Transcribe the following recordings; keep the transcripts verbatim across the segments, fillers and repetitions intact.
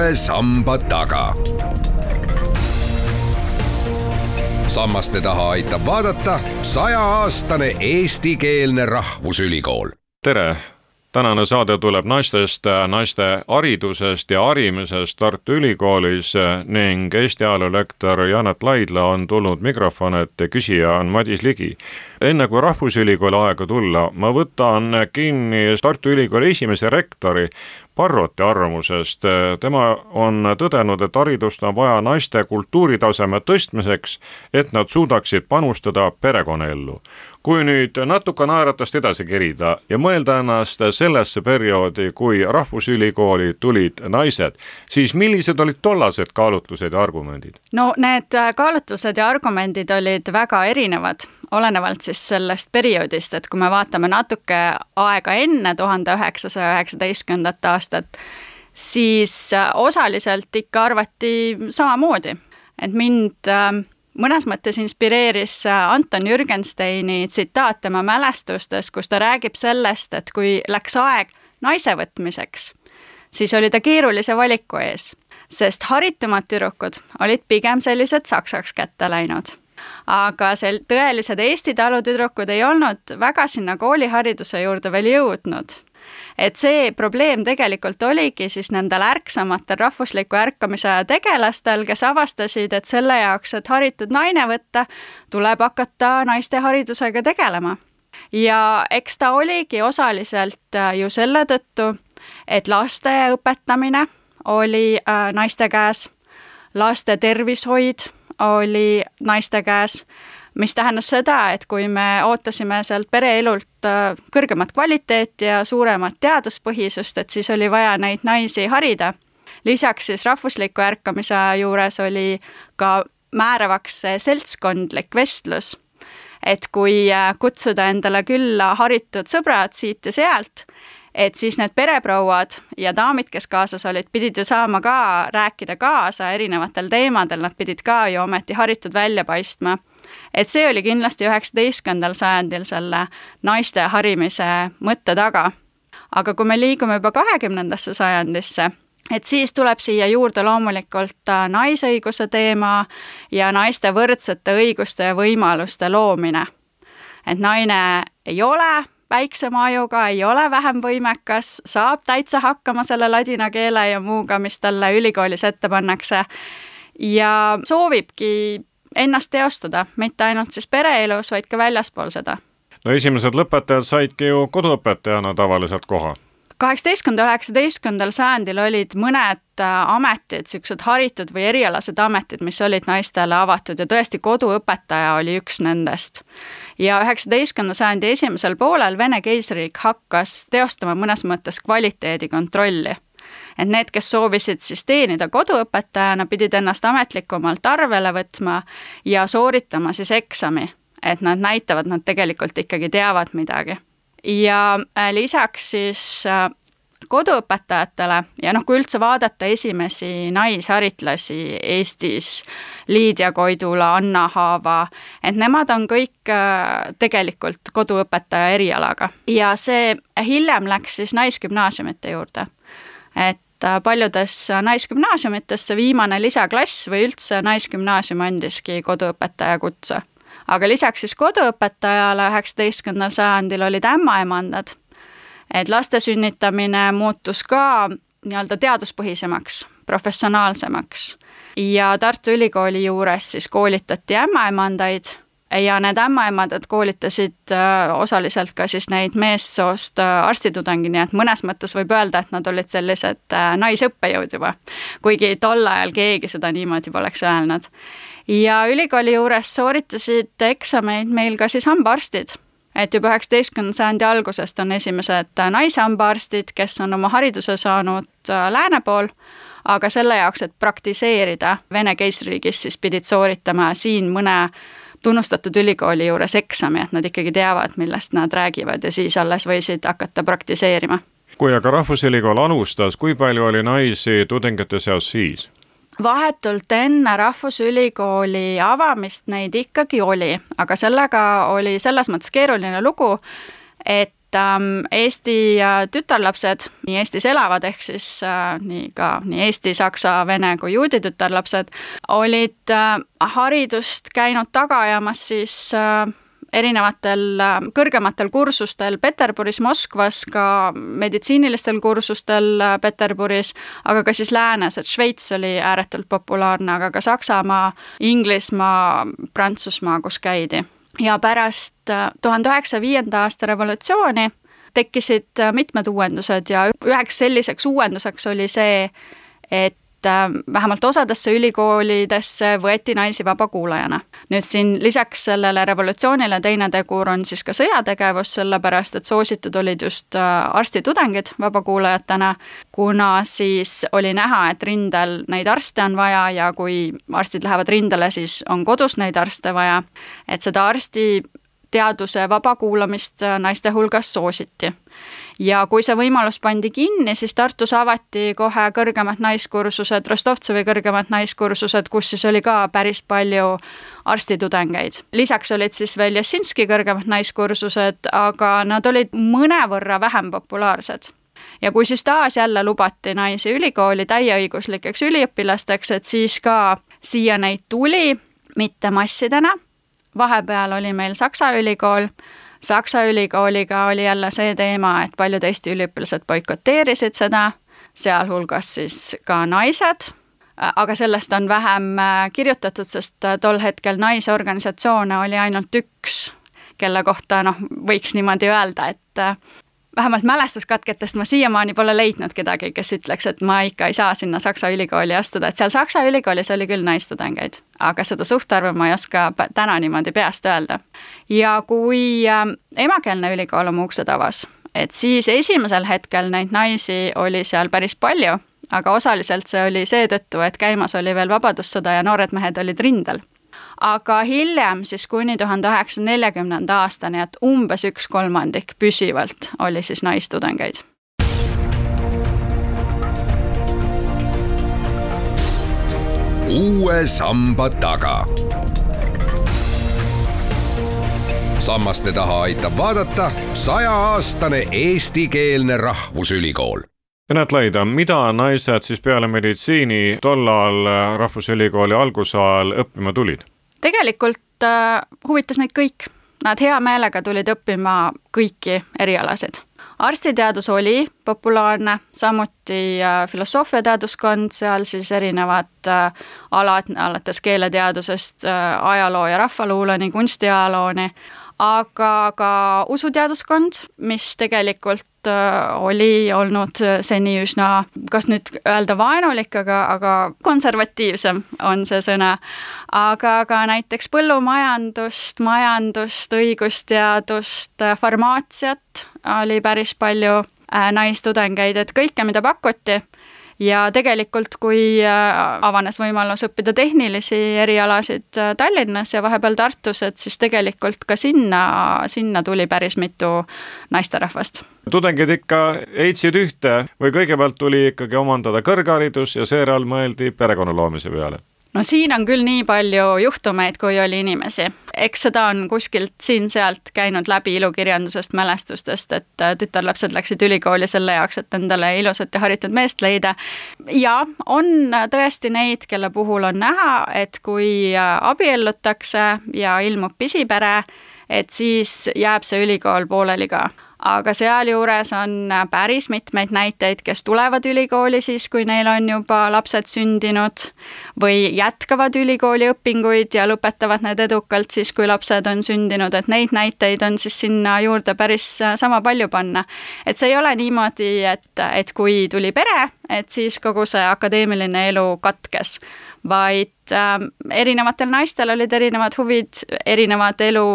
uue samba taga. Sammaste taha aitab vaadata sajaaastane eestikeelne rahvusülikool. Tere! Tänane saade tuleb naistest, naiste haridusest ja harimisest Tartu Ülikoolis ning Eesti ajaloolektor Janet Laidla on tulnud mikrofon, et küsija on Madis Ligi. Enne kui Rahvusülikooli aega tulla, ma võtan kinni Tartu Ülikooli esimese rektori Parroti arvamusest. Tema on tõdenud, et haridust on vaja naiste kultuuritaseme tõstmiseks, et nad suudaksid panustada perekonnaellu. Kui nüüd natuke naeratast edasi kerida ja mõelda ennast sellesse perioodi, kui Rahvusülikooli tulid naised, siis millised olid tollased kaalutlused ja argumendid? No need kaalutlused ja argumendid olid väga erinevad, olenevalt siis sellest perioodist, et kui me vaatame natuke aega enne tuhande üheksasaja üheksateistkümnendat aastat, siis osaliselt ikka arvati samamoodi, et mind mõnes mõttes inspireeris Anton Jürgensteini tsitaat tema mälestustes, kus ta räägib sellest, et kui läks aeg naise võtmiseks, siis oli ta keerulise valiku ees, sest haritumad tüdrukud olid pigem sellised saksaks kätte läinud. Aga sel tõelised Eesti talutüdrukud ei olnud väga sinna koolihariduse juurde veel jõudnud. Et see probleem tegelikult oligi siis nendel ärksamatel rahvusliku ärkamise tegelastel, kes avastasid, et selle jaoks, et haritud naine võtta, tuleb hakata naiste haridusega tegelema. Ja eks ta oligi osaliselt ju selle tõttu, et laste õpetamine oli naiste käes, laste tervishoid oli naiste käes, mis tähendas seda, et kui me ootasime sealt pereelult kõrgemat kvaliteeti ja suuremat teaduspõhisust, et siis oli vaja neid naisi harida. Lisaks siis rahvusliku ärkamise juures oli ka määravaks seltskondlik vestlus, et kui kutsuda endale külla haritud sõbrad siit ja sealt, et siis need pereprouad ja daamid, kes kaasas olid, pidid ju saama ka rääkida kaasa erinevatel teemadel, nad pidid ka ju ometi haritud välja paistma. Et see oli kindlasti üheksateistkümnendal sajandil selle naiste harimise mõtte taga. Aga kui me liigume juba kahekümnendasse sajandisse, et siis tuleb siia juurde loomulikult naisõiguse teema ja naiste võrdsete õiguste ja võimaluste loomine. Et naine ei ole väiksema ajuga, ei ole vähem võimekas, saab täitsa hakkama selle ladina keele ja muuga, mis talle ülikoolis ette pannakse ja soovibki ennast teostada, mitte ainult siis pereelus, vaid ka väljaspool seda. No esimesed lõpetajad saidki ju koduõpetajana tavaliselt koha. kaheksateistkümnendal üheksateistkümnendal sajandil olid mõned ametid, siuksed haritud või erialased ametid, mis olid naistele avatud ja tõesti koduõpetaja oli üks nendest. Ja üheksateistkümnenda sajandi esimesel poolel Vene keisriik hakkas teostama mõnes mõttes kvaliteedikontrolli. Et need, kes soovisid siis teenida koduõpetajana, pidid ennast ametlikumalt arvele võtma ja sooritama siis eksami, et nad näitavad, nad tegelikult ikkagi teavad midagi. Ja lisaks siis koduõpetajatele ja noh, kui üldse vaadata esimesi naisharitlasi Eestis, Liidia Koidula, Anna Haava, et nemad on kõik tegelikult koduõpetaja erialaga. Ja see hiljem läks siis naisgümnaasiumite juurde. Et paljudes naisgümnaasiumites see viimane lisaklass või üldse naisgümnaasium andiski koduõpetaja kutse. Aga lisaks siis koduõpetajale üheksateistkümnendal sajandil olid ämmaemandad, et laste sünnitamine muutus ka nii-öelda teaduspõhisemaks, professionaalsemaks. Ja Tartu Ülikooli juures siis koolitati ämmaemandaid ja need ämmaemandad koolitasid osaliselt ka siis neid meessoost arstitudengi, nii et mõnes mõttes võib öelda, et nad olid sellised naisõppejõud juba, kuigi tol ajal keegi seda niimoodi poleks öelnud. Ja ülikooli juures sooritasid eksameid meil ka siis hambaarstid, et juba üheksateistkümnenda sajandi algusest on esimesed naishambaarstid, kes on oma hariduse saanud lääne pool, aga selle jaoks, et praktiseerida Vene keisririigis, siis pidid sooritama siin mõne tunnustatud ülikooli juures eksami, et nad ikkagi teavad, millest nad räägivad ja siis alles võisid hakata praktiseerima. Kui aga Rahvusülikool alustas, kui palju oli naisi tudengite seas siis? Vahetult enne Rahvusülikooli avamist neid ikkagi oli, aga sellega oli selles mõttes keeruline lugu, et Eesti tütarlapsed, nii Eestis elavad, ehk siis nii ka nii Eesti, saksa, vene kui juudi tütarlapsed, olid haridust käinud taga ajamas siis erinevatel kõrgematel kursustel Peterburis, Moskvas, ka meditsiinilistel kursustel Peterburis, aga ka siis läänes, et Šveits oli ääretult populaarne, aga ka Saksamaa, Inglismaa, Prantsusmaa, kus käidi. Ja pärast tuhande üheksasaja viienda aasta revolutsiooni tekkisid mitmed uuendused ja üheks selliseks uuenduseks oli see, et vähemalt osadesse ülikoolidesse võeti naisi vabakuulajana. Nüüd siin lisaks sellele revolutsioonile teine tegur on siis ka sõjategevus, sellepärast et soositud olid just arstitudengid vabakuulajatena, kuna siis oli näha, et rindel neid arste on vaja ja kui arstid lähevad rindele, siis on kodus neid arste vaja, et seda arstiteaduse vabakuulamist naiste hulgas soositi. Ja kui see võimalus pandi kinni, siis Tartus avati kohe kõrgemad naiskursused, Rostovtsevi kõrgemad naiskursused, kus siis oli ka päris palju arstitudengeid. Lisaks olid siis veel Jasinski kõrgemad naiskursused, aga nad olid mõnevõrra vähem populaarsed. Ja kui siis taas jälle lubati naisi ülikooli täieõiguslikeks üliõpilasteks, et siis ka siia neid tuli, mitte massidena. Vahepeal oli meil Saksa ülikool. Saksa ülikooliga oli jälle see teema, et paljud Eesti üliõpilased boikoteerisid seda, sealhulgas siis ka naised, aga sellest on vähem kirjutatud, sest tol hetkel naisorganisatsioone oli ainult üks, kelle kohta noh, võiks niimoodi öelda, et vähemalt mälestuskatketest ma siiamaani pole leidnud kedagi, kes ütleks, et ma ikka ei saa sinna Saksa ülikooli astuda, et seal Saksa ülikoolis oli küll naistudengeid, aga seda suhtarvu ma ei oska täna niimoodi peast öelda. Ja kui emakeelne ülikool oma uksed avas, et siis esimesel hetkel neid naisi oli seal päris palju, aga osaliselt see oli seetõttu, et käimas oli veel vabadussõda ja noored mehed olid rindel. Aga hiljem siis kuni tuhande üheksasaja neljakümnenda aastani, et umbes üks kolmandik püsivalt oli siis naistudengeid. Uue samba taga. Sammaste taha aitab vaadata sajaaastane eestikeelne rahvusülikool. Janet Laidla, mida naised siis peale meditsiini tollal Rahvusülikooli algusajal õppima tulid? Tegelikult äh, huvitas neid kõik. Nad hea meelega tulid õppima kõiki erialasid. Arstiteadus oli populaarne, samuti äh, filosoofiateaduskond, seal siis erinevad äh, alad, alates keeleteadusest, äh, ajaloo ja rahvaluuleni, kunstiajalooni, aga ka usuteaduskond, mis tegelikult oli olnud seni üsna, kas nüüd öelda vaenulik, aga, aga konservatiivsem on see sõna, aga ka näiteks põllumajandust, majandust, õigusteadust, farmaatsiat oli päris palju naistudengeid, et kõike, mida pakuti. Ja tegelikult, kui avanes võimalus õppida tehnilisi erialasid Tallinnas ja vahepeal Tartus, et siis tegelikult ka sinna, sinna tuli päris mitu naisterahvast. Tudengid ikka heitsid ühte või kõigepealt tuli ikkagi omandada kõrgharidus ja seejärel mõeldi perekonna loomise peale? No siin on küll nii palju juhtumeid, kui oli inimesi. Eks seda on kuskilt siin-sealt käinud läbi ilukirjandusest, mälestustest, et tütarlapsed läksid ülikooli selle jaoks, et endale ilusat ja haritud meest leida. Ja on tõesti neid, kelle puhul on näha, et kui abiellutakse ja ilmub pisipere, et siis jääb see ülikool pooleli ka. Aga sealjuures on päris mitmeid näiteid, kes tulevad ülikooli siis, kui neil on juba lapsed sündinud või jätkavad ülikooli õpinguid ja lõpetavad need edukalt siis, kui lapsed on sündinud, et neid näiteid on siis sinna juurde päris sama palju panna. Et see ei ole niimoodi, et, et kui tuli pere, et siis kogu see akadeemiline elu katkes, vaid äh, erinevatel naistel olid erinevad huvid, erinevad elu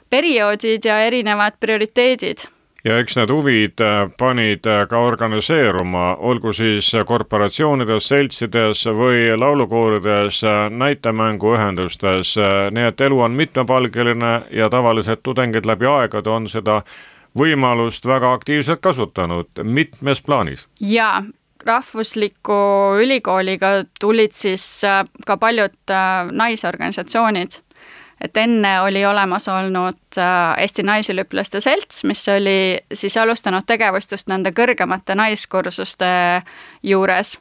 perioodid ja erinevad prioriteedid. Ja eks need huvid panid ka organiseeruma, olgu siis korporatsioonides, seltsides või laulukoorides, näitemänguühendustes, nii et elu on mitmepalgeline ja tavaliselt tudengid läbi aegade on seda võimalust väga aktiivselt kasutanud mitmes plaanis. Jaa. Rahvusliku ülikooliga tulid siis ka paljud naisorganisatsioonid, et enne oli olemas olnud Eesti Naisüliõpilaste Selts, mis oli siis alustanud tegevust just nende kõrgemate naiskursuste juures,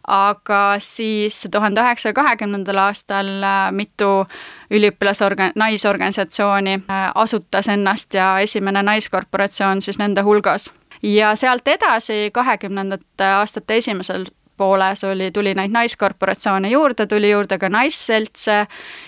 aga siis tuhande üheksasaja kahekümnendal aastal mitu üliõpilasorgan-, naisorganisatsiooni asutas ennast ja esimene naiskorporatsioon siis nende hulgas. Ja sealt edasi kahekümnendate aastate esimesel pooles oli, tuli neid naiskorporatsioone juurde, tuli juurde ka naisseltse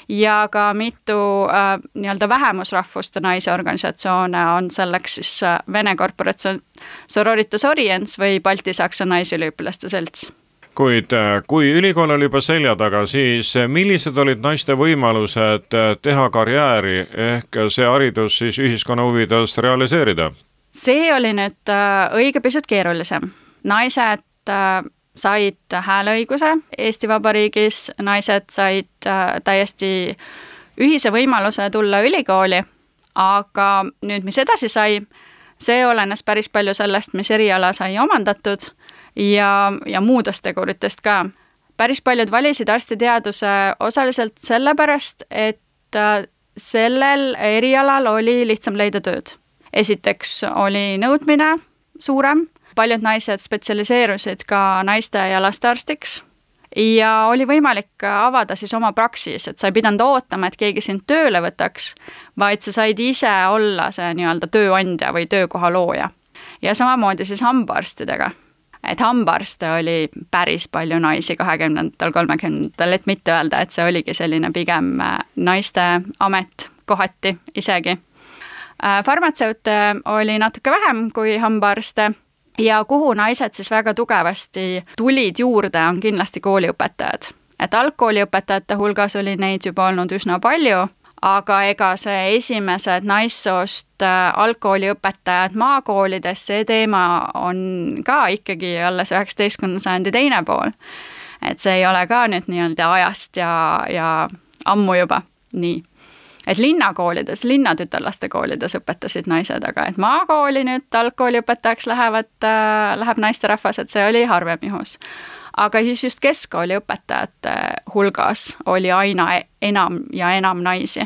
ja ka mitu äh, nii-öelda vähemusrahvuste naisorganisatsioone on selleks siis äh, Vene korporatsioon Sororitas Orients või Balti-Saksa naisüliõpilaste selts. Kuid kui ülikool oli juba selja taga, siis millised olid naiste võimalused teha karjääri ehk see haridus siis ühiskonna huvides realiseerida? See oli nüüd äh, õige pisut keerulisem. Naised äh, said hääleõiguse Eesti Vabariigis, naised said äh, täiesti ühise võimaluse tulla ülikooli, aga nüüd, mis edasi sai, see olenes päris palju sellest, mis eriala sai omandatud ja, ja muudest teguritest ka. Päris paljud valisid arstiteaduse osaliselt sellepärast, et äh, sellel erialal oli lihtsam leida tööd. Esiteks oli nõudmine suurem, paljud naised spetsialiseerusid ka naiste ja lastearstiks ja oli võimalik avada siis oma praksis, et sa ei pidanud ootama, et keegi sind tööle võtaks, vaid sa said ise olla see nii-öelda tööandja või töökoha looja. Ja samamoodi siis hambaarstidega. Et hambaarste oli päris palju naisi kahekümnendatel, kolmekümnendatel, et mitte öelda, et see oligi selline pigem naiste amet kohati isegi. Farmatseute oli natuke vähem kui hambaarste ja kuhu naised siis väga tugevasti tulid juurde, on kindlasti kooliõpetajad. Et algkooliõpetajate hulgas oli neid juba olnud üsna palju, aga ega see esimesed naissoost algkooliõpetajad maakoolides, see teema on ka ikkagi alles üheksateistkümnenda sajandi teine pool. Et see ei ole ka nüüd nii-öelda ajast ja, ja ammu juba nii. Et linnakoolides, linnatütarlaste koolides õpetasid naised, aga et maakooli nüüd algkooliõpetajaks lähevad, äh, läheb naisterahvas, et see oli harvem juhus. Aga siis just keskkooli õpetajate hulgas oli aina enam ja enam naisi.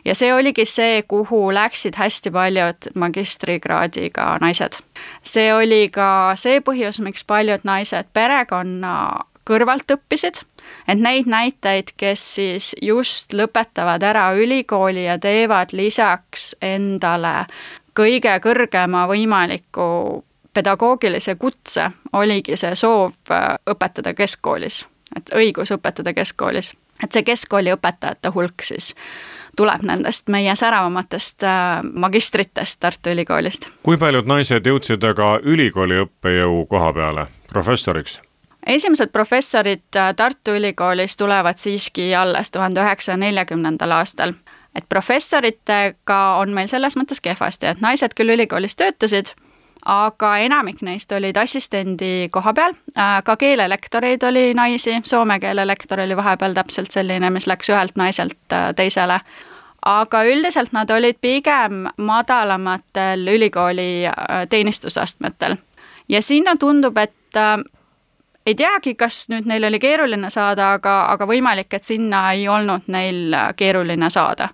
Ja see oligi see, kuhu läksid hästi paljud magistrikraadiga naised. See oli ka see põhjus, miks paljud naised perekonna kõrvalt õppisid, et neid näiteid, kes siis just lõpetavad ära ülikooli ja teevad lisaks endale kõige kõrgema võimaliku pedagoogilise kutse, oligi see soov õpetada keskkoolis, et õigus õpetada keskkoolis. Et see keskkooli õpetajate hulk siis tuleb nendest meie säravamatest magistritest Tartu Ülikoolist. Kui paljud naised jõudsid aga ülikooli õppejõu koha peale, professoriks? Esimesed professorid Tartu Ülikoolis tulevad siiski alles tuhande üheksasaja neljakümnendal aastal. Et professoritega on meil selles mõttes kehvasti, et naised küll ülikoolis töötasid, aga enamik neist olid assistendi koha peal. Ka keelelektoreid oli naisi, soome keelelektor oli vahepeal täpselt selline, mis läks ühelt naiselt teisele. Aga üldiselt nad olid pigem madalamatel ülikooli teenistusastmetel. Ja sinna tundub, et ei teagi, kas nüüd neil oli keeruline saada, aga, aga võimalik, et sinna ei olnud neil keeruline saada.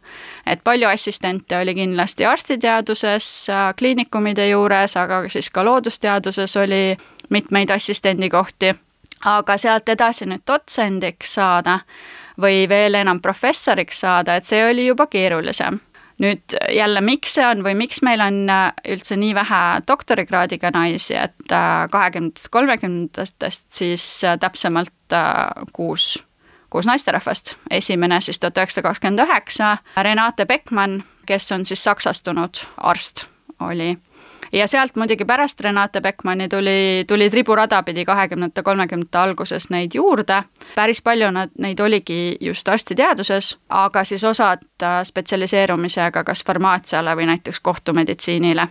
Et palju assistente oli kindlasti arstiteaduses, kliinikumide juures, aga siis ka loodusteaduses oli mitmeid assistendikohti. Aga sealt edasi nüüd dotsendiks saada või veel enam professoriks saada, et see oli juba keerulisem. Nüüd jälle, miks see on või miks meil on üldse nii vähe doktorikraadiga naisi, et kahekümnendatest kolmekümnendatest siis täpsemalt kuus, kuus naisterahvast. Esimene siis tuhat üheksasada kakskümmend üheksa, Renate Beckmann, kes on siis saksastunud arst, oli. Ja sealt muidugi pärast Renate Beckmanni tuli, tuli triburada pidi kahekümnendate kolmekümnendate alguses neid juurde. Päris palju nad, neid oligi just arstiteaduses, aga siis osad spetsialiseerumisega kas farmaatsiale või näiteks kohtumeditsiinile.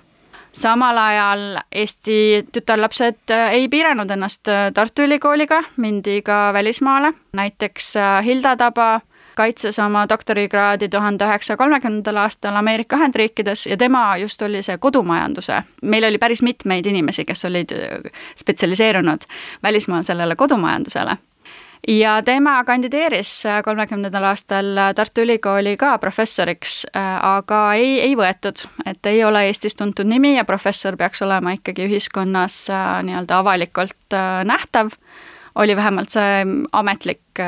Samal ajal Eesti tütarlapsed ei piiranud ennast Tartu Ülikooliga, mindi ka välismaale. Näiteks Hilda Taba kaitses oma doktorikraadi tuhande üheksasaja kolmekümnendal aastal Ameerika Ühendriikides ja tema just oli see kodumajanduse. Meil oli päris mitmeid inimesi, kes olid spetsialiseerunud välismaal sellele kodumajandusele. ja tema kandideeris kolmekümnendal aastal Tartu Ülikooli ka professoriks, aga ei, ei võetud, et ei ole Eestis tuntud nimi ja professor peaks olema ikkagi ühiskonnas nii-öelda avalikult nähtav, oli vähemalt see ametlik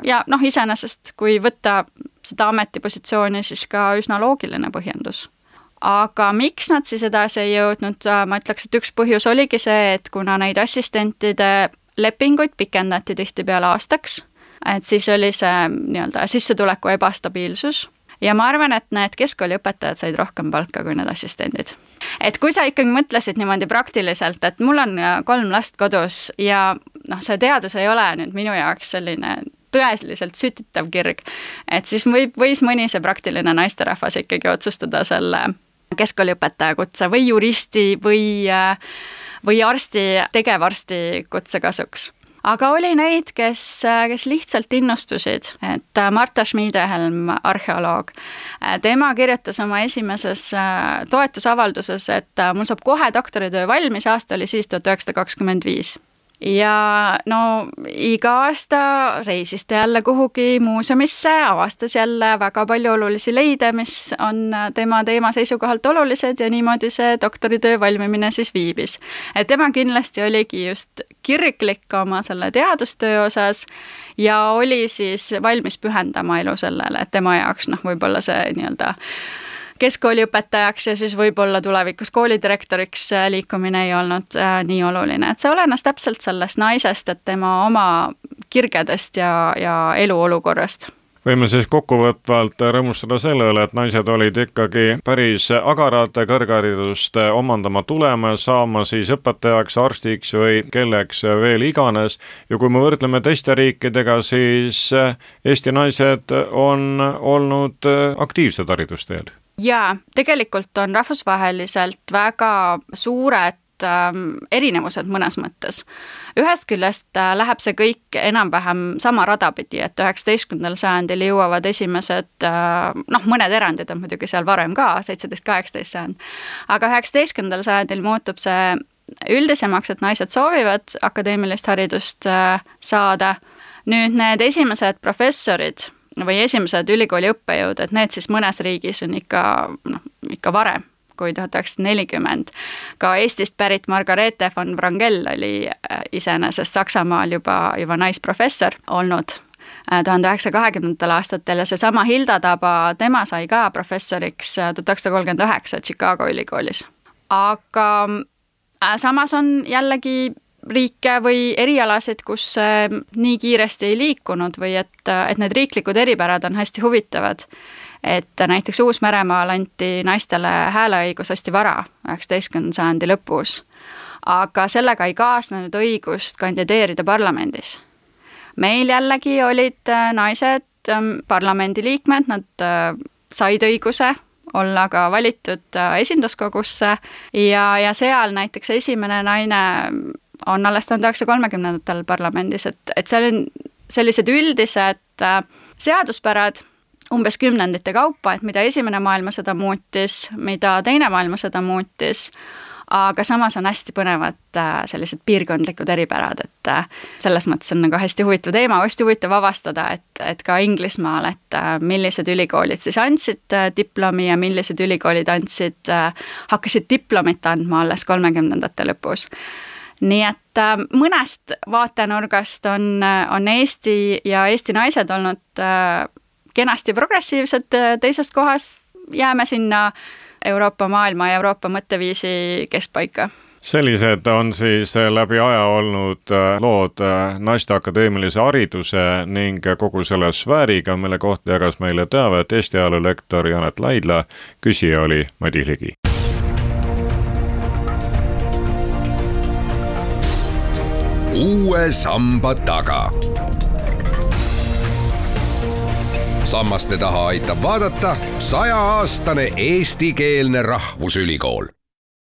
ja noh, iseenesest kui võtta seda ametipositsiooni, siis ka üsna loogiline põhjendus. Aga miks nad siis edasi ei jõudnud, ma ütleks, et üks põhjus oligi see, et kuna neid assistentide lepinguid pikendati tihtipeale aastaks, et siis oli see nii-öelda sissetuleku ebastabiilsus ja ma arvan, et need keskkooliõpetajad said rohkem palka kui need assistendid. Et kui sa ikkagi mõtlesid niimoodi praktiliselt, et mul on kolm last kodus ja noh, see teadus ei ole nüüd minu jaoks selline tõeliselt sütitav kirg, et siis võib, võis mõni see praktiline naisterahvas ikkagi otsustada selle keskkooliõpetaja kutse või juristi või, või arsti, tegevarsti kutse kasuks. Aga oli neid, kes, kes lihtsalt innustusid, et Marta Schmiedehelm, arheoloog, tema kirjutas oma esimeses toetusavalduses, et mul saab kohe doktoritöö valmis, aasta oli siis tuhat üheksasada kakskümmend viis. Ja no iga aasta reisis ta jälle kuhugi muuseumisse, avastas jälle väga palju olulisi leide, mis on tema teema seisukohalt olulised ja niimoodi see doktoritöö valmimine siis viibis. Et tema kindlasti oligi just kirglik oma selle teadustöö osas ja oli siis valmis pühendama elu sellele, et tema jaoks noh, võib-olla see nii-öelda keskkooliõpetajaks ja siis võib-olla tulevikus koolidirektoriks liikumine ei olnud äh, nii oluline, et see olenes täpselt sellest naisest, et tema oma kirgedest ja, ja eluolukorrast. Võime siis kokkuvõtvalt rõõmustada selle üle, et naised olid ikkagi päris agarad kõrgharidust omandama tulema, saama siis õpetajaks, arstiks või kelleks veel iganes. Ja kui me võrdleme teiste riikidega, siis Eesti naised on olnud aktiivsed haridusteel. Jaa, tegelikult on rahvusvaheliselt väga suured ähm, erinevused mõnes mõttes. Ühest küljest äh, läheb see kõik enam-vähem sama radapidi, et üheksateistkümnendal sajandil jõuavad esimesed, äh, noh, mõned erandid on muidugi seal varem ka, seitseteist kaheksateist sajand, aga üheksateistkümnendal sajandil muutub see üldisemaks, et naised soovivad akadeemilist haridust äh, saada. Nüüd need esimesed professorid või esimesed ülikooli õppejõud, et need siis mõnes riigis on ikka, noh, ikka varem kui tuhat üheksasada nelikümmend. Ka Eestist pärit Margarete von Wrangel oli iseenesest Saksamaal juba, juba naisprofessor olnud tuhande üheksasaja kahekümnendatel aastatel ja seesama Hilda Taba, tema sai ka professoriks tuhat üheksasada kolmkümmend üheksa Chicago ülikoolis. Aga samas on jällegi riike või erialasid, kus nii kiiresti ei liikunud või et, et need riiklikud eripärad on hästi huvitavad. Et näiteks Uus-Meremaal anti naistele hääleõigus hästi vara, üheksateistkümnenda sajandi lõpus. Aga sellega ei kaasnenud õigust kandideerida parlamendis. Meil jällegi olid naised parlamendiliikmed, nad said õiguse olla ka valitud esinduskogusse ja, ja seal näiteks esimene naine on alles tuhande üheksasaja kolmekümnendatel parlamendis, et, et seal on sellised üldised seaduspärad umbes kümnendite kaupa, et mida esimene maailmasõda muutis, mida teine maailmasõda muutis, aga samas on hästi põnevad sellised piirkondlikud eripärad, et selles mõttes on nagu hästi huvitav teema, hästi huvitav avastada, et, et ka Inglismaal, et millised ülikoolid siis andsid diplomi ja millised ülikoolid andsid, hakkasid diplomit andma alles kolmekümnendate lõpus. Nii et mõnest vaatenurgast on, on Eesti ja Eesti naised olnud kenasti progressiivsed, teisest kohast jääme sinna Euroopa maailma ja Euroopa mõtteviisi keskpaika. Sellised on siis läbi aja olnud lood naiste akadeemilise hariduse ning kogu selle sfääriga, mille kohta jagas meile teavet Eesti ajaloo lektor Janet Laidla, küsija oli Madis Ligi. Uue samba taga. Sammaste taha aitab vaadata sajaaastane eestikeelne rahvusülikool.